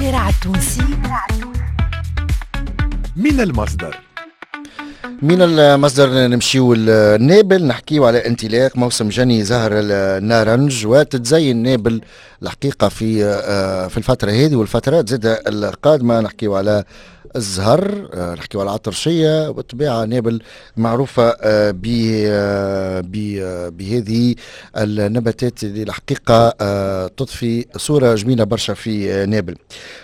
الشارع التونسي من المصدر. من المصدر نمشيو لنابل، نحكيو على انطلاق موسم جني زهر النارنج، وتتزين نابل الحقيقة في الفترة هذه والفترات زادة القادمة. نحكيو على الزهر، نحكيو على العطرشية، والطبيعة نابل معروفة بهذه النباتات اللي الحقيقة تضفي صورة جميلة برشا في نابل.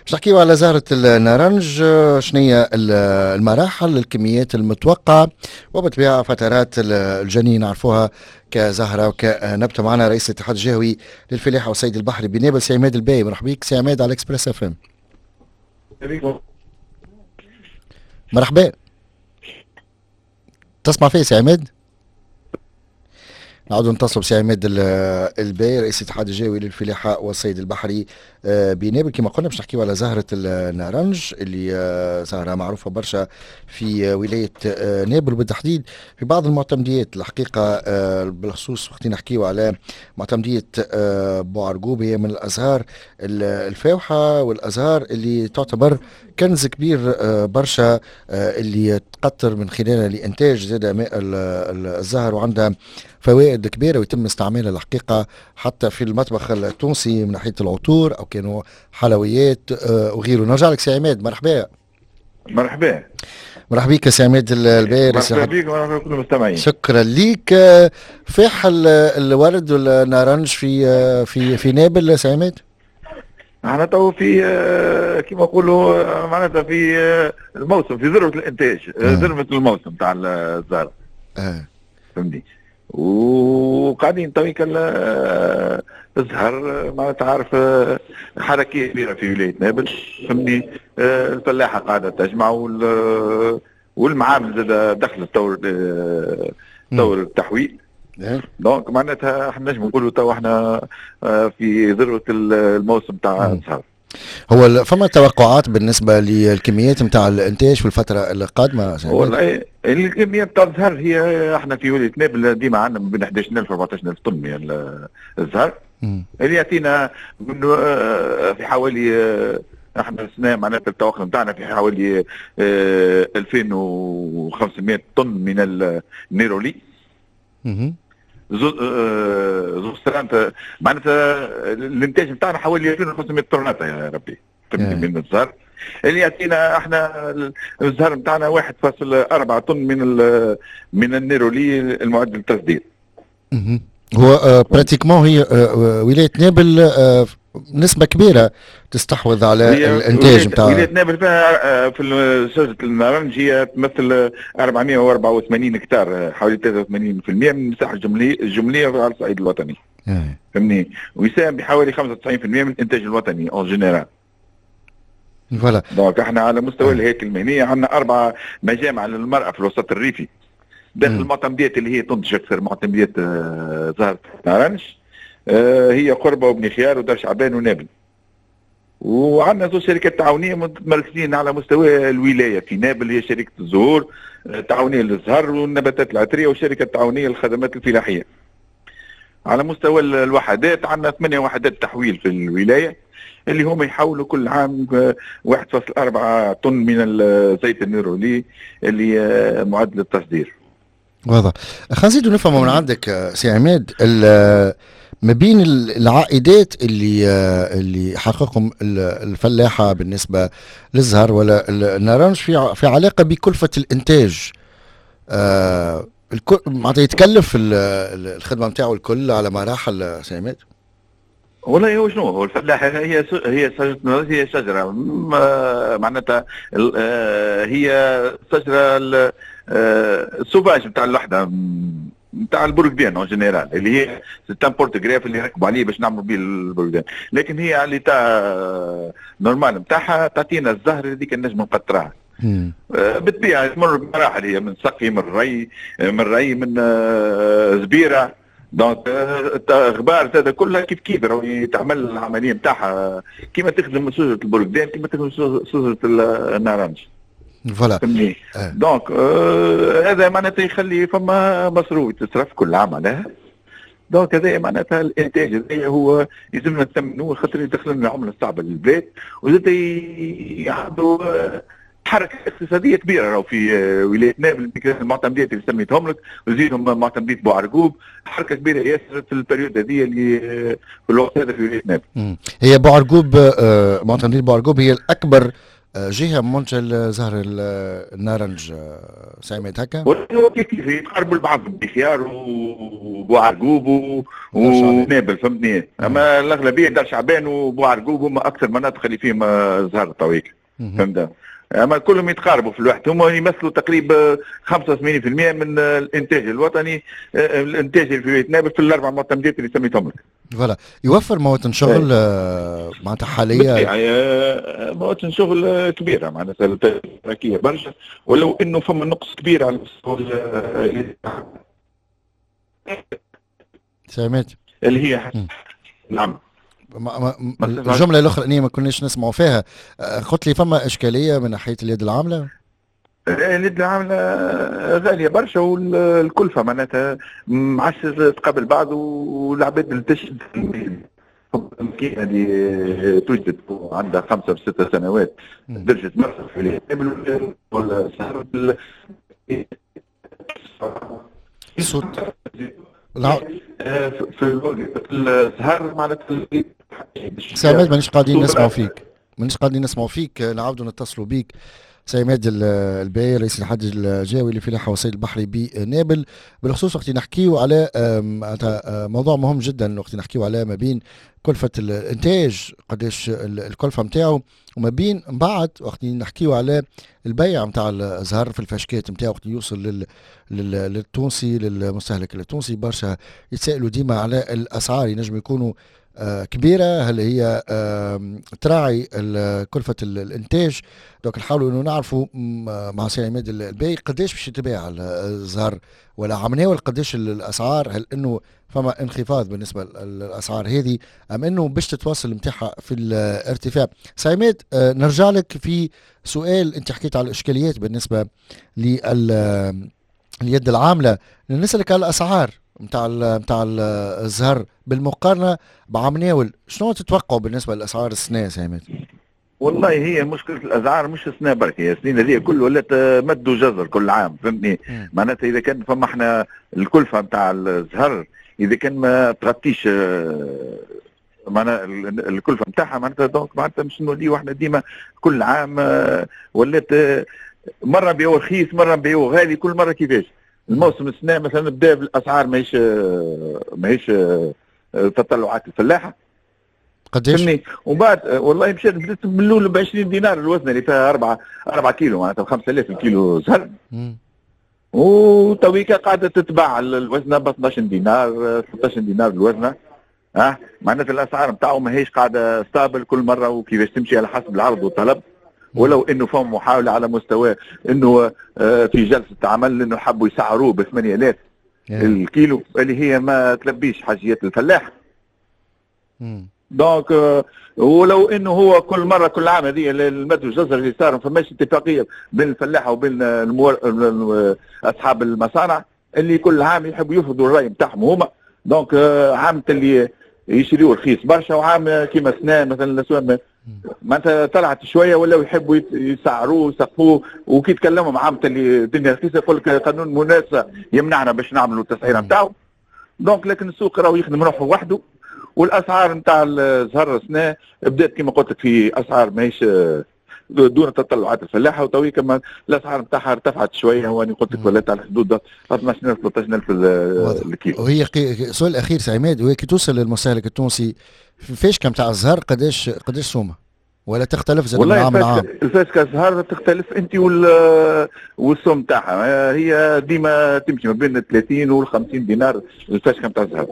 باش نحكيو على زهرة النارنج، شنية المراحل، الكميات المتوقعة، وبالطبيعة فترات الجني نعرفوها كزهرة وكنبتة. معنا رئيس الاتحاد الجهوي للفلاحة والصيد البحري بنابل سي عماد الباي. مرحبا بك سي عماد على Express FM. مرحبا، تسمع فيه سي عماد؟ نعود نتصلوا بسي عماد الباي رئيس الاتحاد الجهوي للفلاحة والصيد البحري بنابل. كما قلنا باش نحكيو على زهرة النارنج اللي زهرة معروفة برشا في ولاية نابل، وبالتحديد في بعض المعتمديات الحقيقة، بالخصوص وقت نحكيو على معتمدية بوعرقوب، هي من الأزهار الفاوحة والأزهار اللي تعتبر كنز كبير برشا، اللي تقطر من خلالها لإنتاج زاد ماء الزهر، وعندها فوائد كبيرة ويتم استعمالها الحقيقة حتى في المطبخ التونسي من ناحية العطور أو كانوا حلويات وغيره. نرجع لك سي عماد، مرحبا. مرحبا. مرحبا بك سي عماد الباي. مرحبا بك ومرحبا بكل المستمعين. شكرا لك. فاح الورد والنارنج في في في نابل سي عماد؟ احنا تو في كيما نقولوا معناتها في الموسم، في ذروة الانتاج، ذروة الموسم تاع الزهرة. فهمتني؟ وقاعدين تويك الزهر معناتها تعرف حركية كبيرة في ولاية نابل، فهمتني؟ الفلاحة قاعدة تجمع والمعامل زاد دخلت طور التحويل. donc معناتها احنا نجم نقولوا تو احنا في ذروة الموسم تاع الزهر. هو فما توقعات بالنسبة للكميات نتاع الإنتاج في الفترة القادمة؟ والله الكميات نتاع الزهر هي احنا في ولاية نابل ديما عندنا من بين 11000 و 14000 طن من الزهر، اللي يعطينا من في حوالي احنا السنة معناتها التوقع نتاعنا في حوالي 2500 طن من النيرولي. زوز معناتها الانتاج نتاعنا حوالي 2500 طرناطه يا ربي من الزهر، اللي يعطينا احنا الزهر نتاعنا 1.4 طن من النيرولي المعد للتصدير. هو pratiquement هي ولاية نابل نسبة كبيرة تستحوذ على الانتاج نتاع ولاية نابل. فيها في شجرة النارنج هي تمثل 484 هكتار، حوالي 83% من المساحة الجملية على الصعيد الوطني. فهمني؟ ويساهم بحوالي 95% من الانتاج الوطني en général. voilà. donc احنا على مستوى الهياكل المهنية عندنا 4 مجامع للمرأة في الوسط الريفي داخل المعتمديات اللي هي تنتج أكثر معتمديات زهرة النارنج، هي قربة وبني خيار ودار شعبان ونابل. وعندنا زوج شركات تعاونية متمركزين على مستوى الولاية في نابل، هي شركة الزهور تعاونية للزهر والنباتات العطرية، وشركة تعاونية للخدمات الفلاحية. على مستوى الوحدات عندنا 8 وحدات تحويل في الولاية اللي هم يحولوا كل عام 1.4 طن من الزيت النيرولي اللي معد للتصدير. واضح. خلينا نزيدوا نفهموا من عندك سي عماد ما بين العائدات اللي حققهم الفلاحة بالنسبة للزهر ولا النارنج في علاقة بكلفة الإنتاج. معناتها يتكلف الخدمة نتاعو الكل على مراحل سي عماد؟ والله هو شنو هو الفلاح، هي شجرة، هي شجرة معناتها هي شجرة ال sauvage نتاع الوحدة نتاع البرقدان en général، اللي هي c'est un porte-greffe اللي نركبوا عليه باش نعملوا به البرقدان، لكن هي على l'état normal نتاعها تعطينا الزهر هذيك النجم نقطرها. بالطبيعة تمر بمراحل، هي من سقي، من ري، من زبيره، donc غبار هذا كلها كيف كيف راهو تعمل العملية نتاعها كيما تخدم شجرة البرقدان كيما تخدم شجرة النارنج. voilà. donc هذا معناتها يخلي فما مصروف تصرف كل عام عليها. donc هذا معناتها الانتاج هذا هو يلزمنا نثمنوه خاطر يدخل لنا العملة الصعبة للبلاد، وزاد عنده حركة اقتصادية كبيرة راهو في ولاية نابل، المعتمديات اللي سميتهم لك وزيدهم معتمديه بوعرقوب، حركة كبيرة ياسر في ال période هذه اللي في الوقت هذا في ولاية نابل. هي بوعرقوب، معتمديه بوعرقوب هي الاكبر جهة منتج زهر النارنج سي عماد هكا؟ هو كيف كيف يتقربوا لبعض، بخيار وبوعرقوب ونابل، فهمتني؟ اما الاغلبية دار شعبان وبوعرقوب هما اكثر مناطق اللي فيهم زهر الطويل، فهمت؟ اما كلهم يتقاربوا في الوقت، هم يمثلوا تقريبا 85% من الانتاج الوطني، الانتاج اللي في ولاية نابل في الاربع معتمدات اللي سميتهم لك. voilà، يوفر مواطن شغل معناتها حاليا؟ مواطن شغل كبيرة معناتها تركيه برشا، ولو انه فما نقص كبير على مستوى سمعت اللي هي نعم الجملة الاخرانية ما كناش نسمعوا فيها. قلت لي فما اشكالية من ناحية اليد العاملة؟ اليد العاملة غالية برشا، والكلفه معناتها ما عادش تقابل بعض، والعباد اللي تشد الماكينة اللي توجد عندها 5 6 سنوات درجه برشا في الصوت في السهر معناتها. سي عماد مانيش قاعدين نسمعوا فيك، مانيش قاعدين نسمعوا فيك، نعاودوا نتصلوا بيك. سي عماد الباي رئيس الاتحاد الجهوي للفلاحه والصيد البحري بنابل، بالخصوص وقت نحكيو على موضوع مهم جدا، وقت نحكيو على ما بين كلفه الانتاج قداش الكلفة نتاعو، وما بين من بعد وقت نحكيو على البيع نتاع الزهر في الفاشكات نتاعو وقت يوصل للتونسي للمستهلك التونسي. برشا يتسائلوا ديما على الاسعار، ينجم يكونوا كبيرة، هل هي تراعي كلفة الإنتاج؟ donc نحاولوا إنه نعرفوا مع سي عماد الباي قداش باش يتباع الزهر ولا عمناول قداش الأسعار، هل إنه فما انخفاض بالنسبة للأسعار هذه أم إنه باش تتواصل نتاعها في الارتفاع؟ سي عماد نرجع لك في سؤال، أنت حكيت على الإشكاليات بالنسبة لليد العاملة، نسألك على الأسعار نتاع الزهر بالمقارنة بعام ناول، شنو تتوقعوا بالنسبة للاسعار السنة سي عماد؟ والله هي مشكلة الاسعار مش السنة برك، هي السنين هذه كل ولات مد وجزر كل عام، فهمتني؟ معناتها اذا كان فما احنا الكلفة نتاع الزهر اذا كان ما تغطيش معناها الكلفة نتاعها معناتها donc معناتها مش نوليو احنا ديما كل عام ولات مرة نبيعوه رخيص مرة نبيعوه غالي، كل مرة كيفاش. الموسم السنة مثلا بدا بالاسعار ماهيش تطلعات الفلاحة قداش؟ ومن بعد والله مشات بدات من الاول ب 20 دينار الوزنه اللي فيها 4 كيلو معناتها 5000 كيلو زهر، وتويكا قاعدة تتباع الوزنه ب 12 دينار 16 دينار الوزنه. ها معناتها الاسعار نتاعو ماهيش قاعدة stable كل مرة وكيفاش تمشي على حسب العرض والطلب، ولو انه فما محاولة على مستوى انه في جلسه عمل انه حبوا يسعروه ب 8000 الكيلو اللي هي ما تلبيش حاجيات الفلاح. donc ولو انه هو كل مرة كل عام هذه المد والجزر اللي صار ما فماش اتفاقية بين الفلاحة وبين اصحاب المصانع اللي كل عام يحبوا يفرضوا الراي نتاعهم هما. donc عام اللي يشريوا رخيص برشا، وعام كيما سنة مثلا الاسواق معناتها طلعت شوية ولاو يحبوا يسعروه ويسقفوه، وكي تكلموا مع عام اللي الدنيا رخيصة يقول لك قانون منافسه يمنعنا باش نعملوا التسعيره نتاعو. donc لكن السوق راهو يخدم روحه وحده، والاسعار نتاع الزهر السنة بدات كما قلت لك في اسعار ماهيش دون تطلعات الفلاحة، وتوي كما الاسعار نتاعها ارتفعت شوية، واني قلت لك ولات على حدود 12000 13000 الكيلو. وهي السؤال الاخير سي عماد، وهي كي توصل للمستهلك التونسي فاش نتاع الزهر قداش سومه؟ ولا تختلف زاد من عام لعام؟ الفاسكه الزهر تختلف انت والسوم تاعها، هي ديما تمشي ما بين 30 وال 50 دينار الفاسكه نتاع الزهر.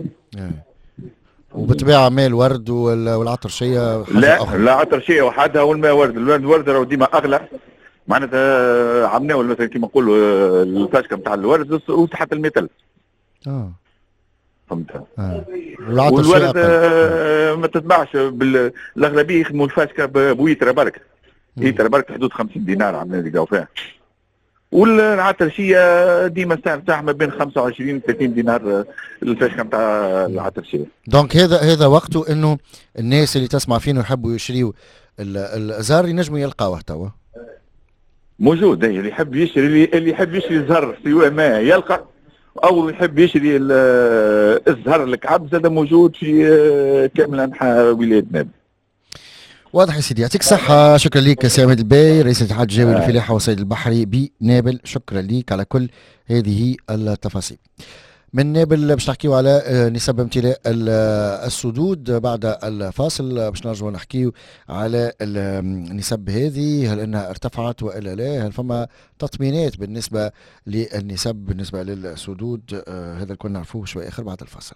وبالطبيعه ماء الورد والعطرشيه لا أخرى. لا عطرشيه وحدها والماء ورد، الورد راهو ديما اغلى معناتها عمناول مثلا كيما نقولوا الفاشكه نتاع الورد وتحت 100000. فهمت. والورد ما تتباعش بالاغلبيه يخدموا الفاشكه بويتره برك، ايتره برك حدود 50 دينار عملنا اللي فيها. والعطرشيه ديما السعر نتاعها ما بين 25 و 30 دينار الفاشكه نتاع العطرشيه. donc هذا وقته انه الناس اللي تسمع فينا يحبوا يشريوا الزهر ينجموا يلقاوه توا. موجود، اللي يحب يشري، اللي يحب يشري زهر سواء ما يلقى، او يحب يشري الزهر الكعب زاد موجود في كامل انحاء ولاية نابل. واضح يا سيدي، يعطيك الصحة، شكرا لك سي عماد الباي، رئيس الاتحاد الجهوي للفلاحة والصيد البحري بنابل، شكرا لك على كل هذه التفاصيل. من نابل باش نحكيو على نسب امتلاء السدود بعد الفاصل، باش نرجعوا نحكيو على النسب هذه، هل انها ارتفعت والا لا؟ هل فما تطمينات بالنسبة للنسب بالنسبة للسدود؟ هذا الكل نعرفوه شوي اخر بعد الفاصل.